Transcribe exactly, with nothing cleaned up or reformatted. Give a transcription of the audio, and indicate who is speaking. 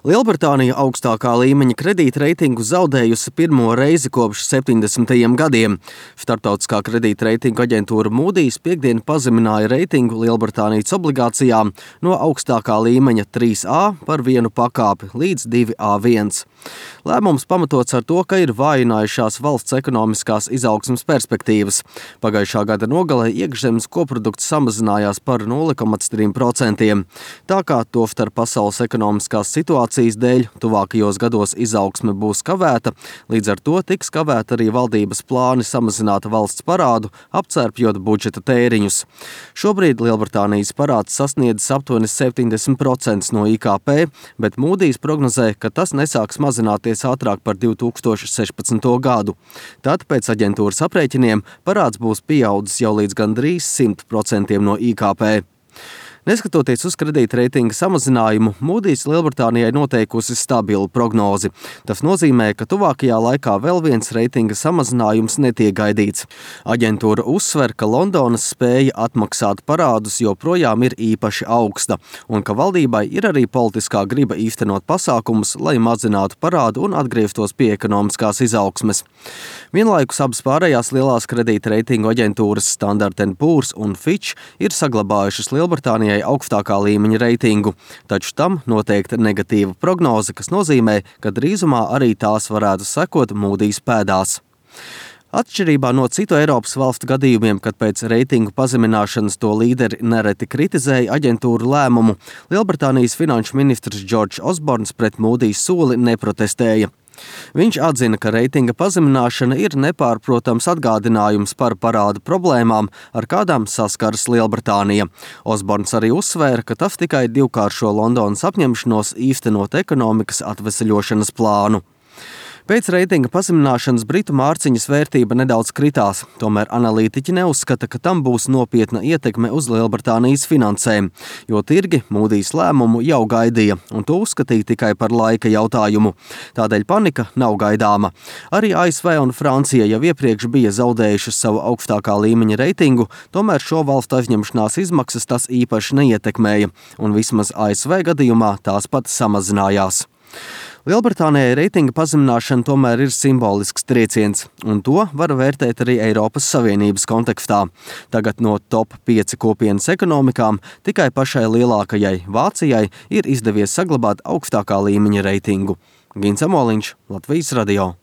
Speaker 1: Lielbritānija augstākā līmeņa kredītreitingu zaudējusi pirmo reizi kopš septiņdesmitajiem gadiem. Starptautiskā kredītreitingu aģentūra Moody's piekdien pazemināja reitingu Lielbritānijas obligācijām no augstākā līmeņa trīs A par vienu pakāpi līdz divi A viens. Lēmums pamatots ar to, ka ir vājinājušās valsts ekonomiskās izaugsmes perspektīvas. Pagājušā gada nogalē iekšzemes koprodukts samazinājās par nulle komats trīs procenti. Tā kā tostarp pasaules ekonomiskās situācijas dēļ tuvākajos gados izaugsme būs kavēta, līdz ar to tiks kavēta arī valdības plāni samazināt valsts parādu, apcērpjot budžeta tēriņus. Šobrīd Lielbritānijas parāds sasniedz aptuveni septiņdesmit procenti no I K P, bet Moody's prognozē, ka tas nesāks mazināties ātrāk par divi tūkstoši sešpadsmito gadu. Tad pēc aģentūras aprēķiniem parāds būs pieaudzis jau līdz gandrīz simt procentiem no I K P. Neskatoties uz kredītreitinga samazinājumu, Moody's Lielbritānijai noteikusi stabilu prognozi. Tas nozīmē, ka tuvākajā laikā vēl viens reitinga samazinājums netiek gaidīts. Aģentūra uzsver, ka Londonas spēja atmaksāt parādus joprojām ir īpaši augsta, un ka valdībai ir arī politiskā griba īstenot pasākumus, lai mazinātu parādu un atgrieztos pie ekonomiskās izaugsmes. Vienlaikus abas pārējās lielās kredītreitingu aģentūras Standard and Poor's un Fitch ir saglabājušas Lielbritānijai augstākā līmeņa reitingu, taču tam noteikta negatīva prognoze, kas nozīmē, ka drīzumā arī tās varētu sekot Moody's pēdās. Atšķirībā no citu Eiropas valstu gadījumiem, kad pēc reitingu pazemināšanas to līderi nereti kritizēja aģentūru lēmumu, Lielbritānijas finanšu ministrs Džordžs Osborns pret Moody's soli neprotestēja. Viņš atzina, ka reitinga pazemināšana ir nepārprotams atgādinājums par parādu problēmām, ar kādām saskaras Lielbritānija. Osborns arī uzsvēra, ka tas tikai divkāršo Londonas apņemšanos īstenot ekonomikas atveseļošanas plānu. Pēc reitinga pazemināšanas britu mārciņas vērtība nedaudz kritās, tomēr analītiķi neuzskata, ka tam būs nopietna ietekme uz Lielbritānijas finansēm, jo tirgi Moody's lēmumu jau gaidīja, un to uzskatīja tikai par laika jautājumu. Tādēļ panika nav gaidāma. Arī A S V un Francija jau iepriekš bija zaudējušas savu augstākā līmeņa reitingu, tomēr šo valstu aizņemšanās izmaksas tas īpaši neietekmēja, un vismaz A S V gadījumā tās pat samazinājās. Lielbritānijai reitinga pazemināšana tomēr ir simbolisks trieciens, un to var vērtēt arī Eiropas Savienības kontekstā. Tagad no top pieci kopienas ekonomikām tikai pašai lielākajai Vācijai ir izdevies saglabāt augstākā līmeņa reitingu. Gins Amoliņš, Latvijas radio.